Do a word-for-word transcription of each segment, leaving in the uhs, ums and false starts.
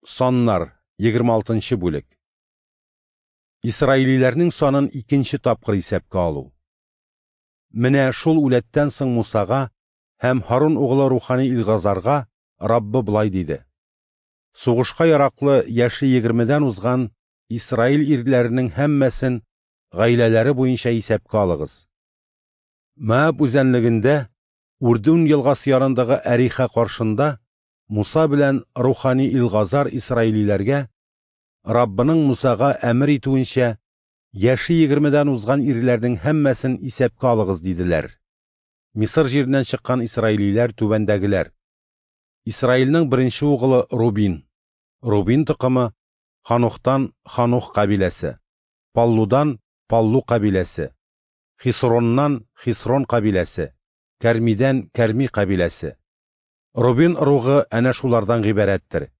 Саннар, егерме алтынчы бүлек. Исраилиләрнең санын икенче тапкыр исәпкә алу. Менә шул үләттән соң Мусага һәм Һарун углы рухани Илгазарга Раббы болай диде: Сугышка яраклы яше егермедән узган Исраил ирләренең һәммәсен гаиләләре буенча исәпкә алыгыз. Моаб үзәнлегендә, Үрдүн елгасы янындагы Әриха каршында Муса белән рухани Илгазар исраилиләргә Раббының Мусага әмер итүенчә яше егермедән узган ирләрнең һәммәсен исәпкә алыгыз диделәр. Мисыр җиреннән чыккан исраилиләр түбәндәгеләр: Исраилнең беренче угылы Рубин, Рубин токымы Ханухтан Ханух кабиләсе, Паллудан Паллу кабиләсе, Хисроннан Хисрон кабиләсе, Кәрмидән Кәрми кабиләсе. Рубин ыругы әнә шулардан гыйбарәттер.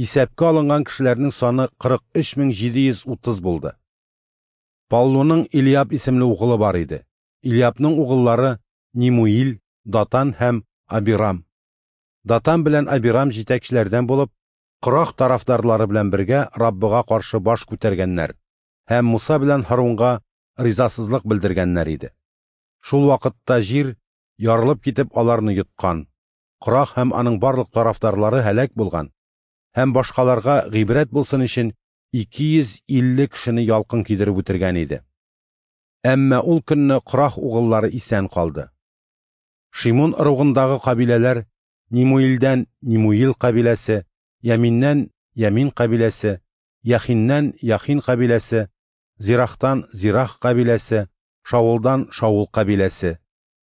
Исәпкә алынган кешеләрнең саны кырык өч мең җиде йөз утыз булды. Паллуның Илиаб исемле угылы бар иде. Илиабның угыллары Нимуил, Датан һәм Абирам. Датан белән Абирам җитәкчеләрдән булып, Корах тарафдарлары белән бергә Раббыга каршы баш күтәргәннәр һәм Муса белән Һарунга ризасызлык белдергәннәр иде. Шул вакытта җир ярылып китеп аларны йоткан. Корах һәм аның барлык тарафдарлары һәлак булган һәм башкаларга гыйбрәт булсын өчен ике йөз илле кешене ялкын кидереп үтергән иде. Әмма ул көнне Корах угыллары исән калды. Шимон ыругындагы кабиләләр: Нимуилдән Нимуил кабиләсе, Яминнән Ямин кабиләсе, Яхиннән Яхин кабиләсе, Зирахтан Зирах кабиләсе, Шаулдан Шаул кабиләсе.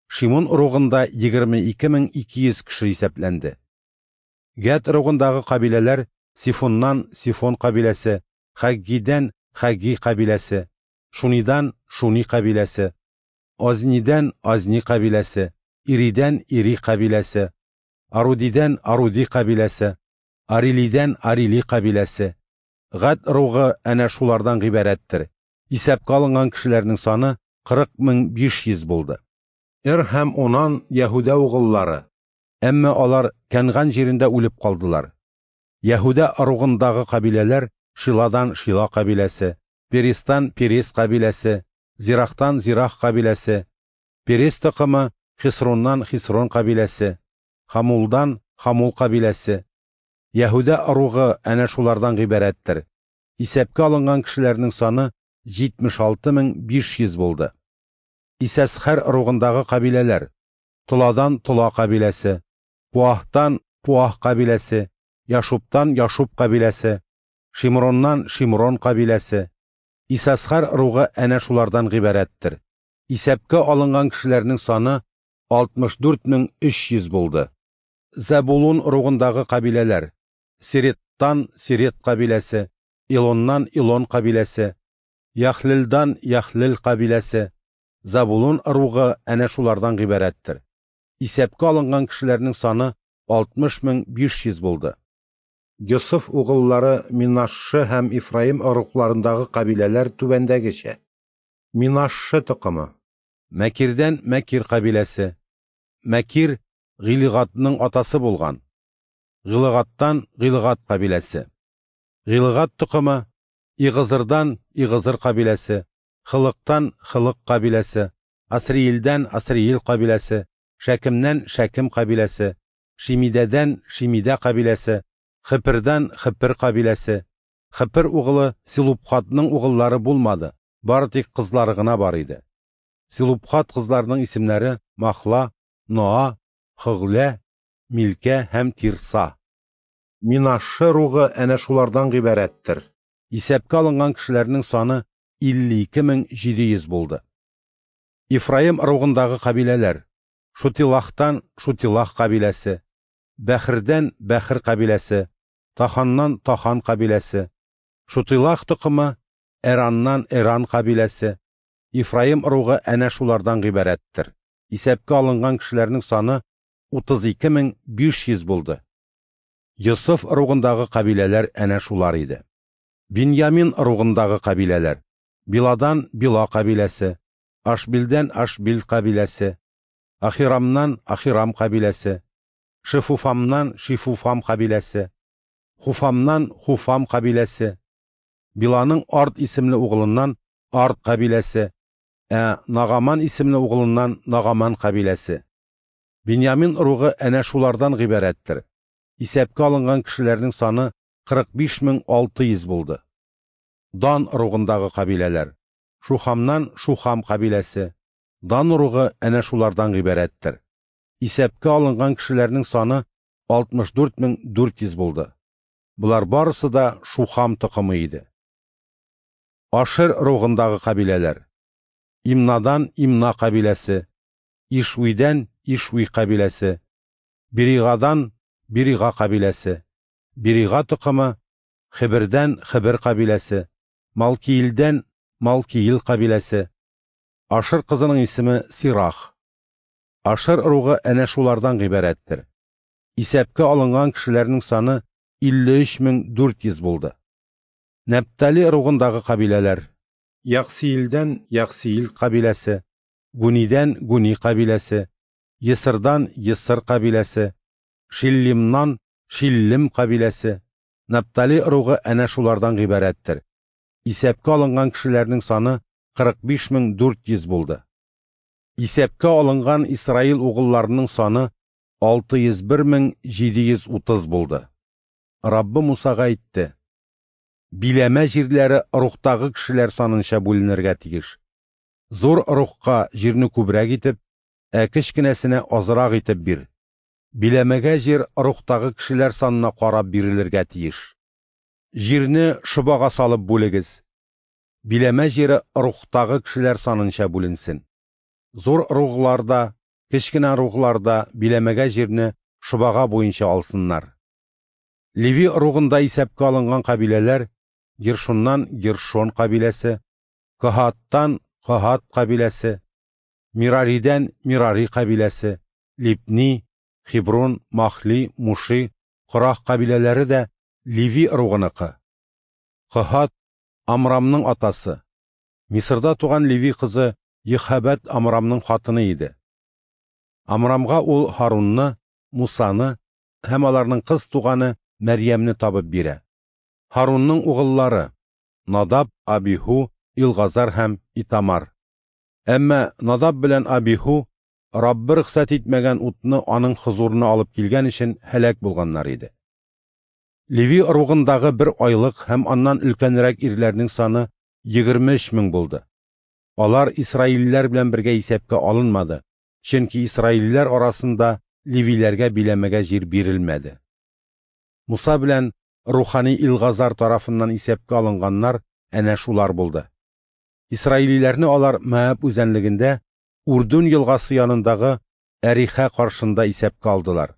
Шимон ыругында егерме ике мең ике йөз кеше исәпләнде. Гәд ыругындагы кабиләләр: Сифоннан Сифон кабиләсе, Хаггидән Хагги кабиләсе, Шунидан Шуни кабиләсе, Азнидән Азни кабиләсе, Иридән Ири кабиләсе, Арудидән Аруди кабиләсе, Арилидән Арили кабиләсе. Гәд ыругы әнә шулардан гыйбарәттер. Исәпкә алынган кешеләрнең саны кырык мең биш йөз булды. Эр һәм Онан Яһүдә угыллары, әмма алар Кәнган җирендә үлеп калдылар. Яһүдә ыругындагы кабиләләр: Шиладан Шила кабиләсе, Перестан Перес кабиләсе, Зирахтан Зирах кабиләсе, Перес токымы Хисроннан Хисрон кабиләсе, Хамулдан Хамул кабиләсе. Яһүдә ыругы әнә шулардан гыйбарәттер. Исәпкә алынган кешеләрнең саны җитмеш алты мең биш йөз булды. Исәсхәр ыругындагы кабиләләр: Толадан Тола кабиләсе, Пуахтан Пуах кабиләсе, Яшуптан Яшуп кабиләсе, Шимроннан Шимрон кабиләсе. Исәсхәр ыругы әнә шулардан гыйбарәттер. Исәпкә алынган кешеләрнең саны алтмыш дүрт мең өч йөз булды. Зәбулун ыругындагы кабиләләр: Сереттан Серет кабиләсе, Илоннан Илон кабиләсе, Яхлелдан Яхлел кабиләсе. Забулун ыругы әнә шулардан гыйбарәттер. Исәпкә алынган кешеләрнең саны алтмыш мең биш йөз булды. Йосыф угыллары Минашшы һәм Ифраим ыругларындагы кабиләләр түбәндәгечә: Минашшы токымы Мәкирдән Мәкир кабиләсе. Мәкир Гилгатның атасы булган. Гилгаттан Гилгат кабиләсе. Гилгат токымы Игызырдан Игызыр кабиләсе, Хылыктан Хылык кабиләсе, Асриилдән Асриил кабиләсе, Шәкемнән Шәкем кабиләсе, Шимидәдән Шимидә кабиләсе, Хепердән Хепер кабиләсе. Хепер угылы Силупхатның угыллары булмады, бары тик кызлары гына бар иде. Силупхат кызларының исемнәре Махла, Ноа, Хыглә, Милкә һәм Тирса. Минашшы ыругы әнә шулардан гыйбарәттер. Исәпкә алынган кешеләрнең саны илле ике мең җиде йөз булды. Ифраим ыругындагы кабиләләр: Шутилахтан Шутилах кабиләсе, Бәхирдән Бәхир кабиләсе, Таханнан Тахан кабиләсе, Шутилах токымы Эраннан Эран кабиләсе. Ифраим ыругы әнә шулардан гыйбарәттер. Исәпкә алынган кешеләрнең саны утыз ике мең биш йөз булды. Йосыф ыругындагы кабиләләр әнә шулар иде. Биньямин ыругындагы кабиләләр: Биладан Била кабиләсе, Ашбилдән Ашбил кабиләсе, Ахирамнан Ахирам кабиләсе, Шифуфамнан Шифуфам кабиләсе, Хуфамнан Хуфам кабиләсе, Биланың Ард исемле угылыннан Ард кабиләсе, ә Нагаман исемле угылыннан Нагаман кабиләсе. Биньямин ыругы әнә шулардан гыйбарәттер. Исәпкә алынган кешеләрнең саны кырык биш мең алты йөз булды. Дан ыругындагы кабиләләр: Шухамнан Шухам кабиләсе. Дан ыругы әнә шулардан гыйбарәттер. Исәпкә алынган кешеләрнең саны алтмыш дүрт мең дүрт йөз булды. Болар барысы да Шухам токымы иде. Ашер ыругындагы кабиләләр: Имнадан Имна кабиләсе, Ишвидән Ишви кабиләсе, Биригадан Бирига кабиләсе, Бирига токымы, Хебердән Хебер кабиләсе, Малкиилдән Малкиил кабиләсе. Ашер кызының исеме Сирах. Ашер ыругы әнә шулардан гыйбарәттер. Исәпкә алынган кешеләрнең саны илле өч мең дүрт йөз булды. Нәптали ыругындагы кабиләләр: Яксиилдән Яксиил кабиләсе, Гунидән Гуни кабиләсе, Есырдан Есыр кабиләсе, Шиллимнан Шиллим кабиләсе. Наптали ыругы әнә шулардан гыйбарәттер. Исәпкә алынган кешеләрнең саны кырык биш мең дүрт йөз булды. Исәпкә алынган Исраил угылларының саны алты йөз бер мең җиде йөз утыз булды. Раббы Мусага әйтте: Биләмә җирләре ыругтагы кешеләр санынча бүленергә тиеш. Зур ыругка җирне күбрәк итеп, ә кечкенәсенә азрак итеп бир. Биләмәгә җир ыругтагы кешеләр санына карап бирелергә тиеш. Җирне шобага салып бүлегез. Биләмә җире ыругтагы кешеләр санынча бүленсен. Зур ыругларда, кечкенә ыругларда биләмәгә җирне шобага буенча алсыннар. Леви ыругында исәпкә алынган кабиләләр: Гершоннан Гершон кабиләсе, Каһаттан Каһат кабиләсе, Мираридән Мирари кабиләсе, Либни, Хеброн, Махли, Муши, Корах кабиләләре дә Леви ыругыныкы. Каһат Амрамның атасы. Мисырда туган Леви кызы Йөхәбәт Амрамның хатыны иде. Амрамга ул Һарунны, Мусаны һәм аларның кыз туганы Мәрьямне табып бирә. Һарунның угыллары: Надаб, Абиху, Илгазар һәм Итамар. Әмма Надаб белән Абиху Раббы рөхсәт итмәгән утны аның хозурына алып килгән өчен һәлак булганнар иде. Леви ыругындагы бер айлык һәм аннан өлкәнрәк ирләрнең саны егерме өч мең булды. Алар исраилләр белән бергә исәпкә алынмады, чөнки исраилләр арасында левиләргә биләмәгә җир бирелмәде. Муса белән рухани Илгазар тарафыннан исәпкә алынганнар әнә шулар булды. Исраилиләрне алар Моаб үзәнлегендә Урдун елгасы янындагы Әрихә каршында исәпкә алдылар.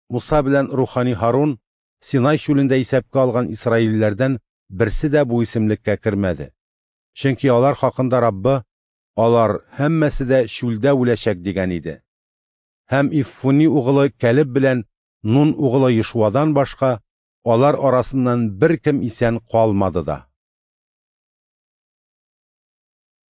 Муса белән рухани Һарун Синай чүлендә исәпкә алган исраилләрдән берсе дә бу исемлеккә кермәде. Чөнки алар хакында Раббы: алар һәммәсе дә чүлдә үләчәк дигән иде. Һәм Иффуни угылы Кәлеб белән Нун угылы Йошуадан башка алар арасыннан беркем исән калмады да.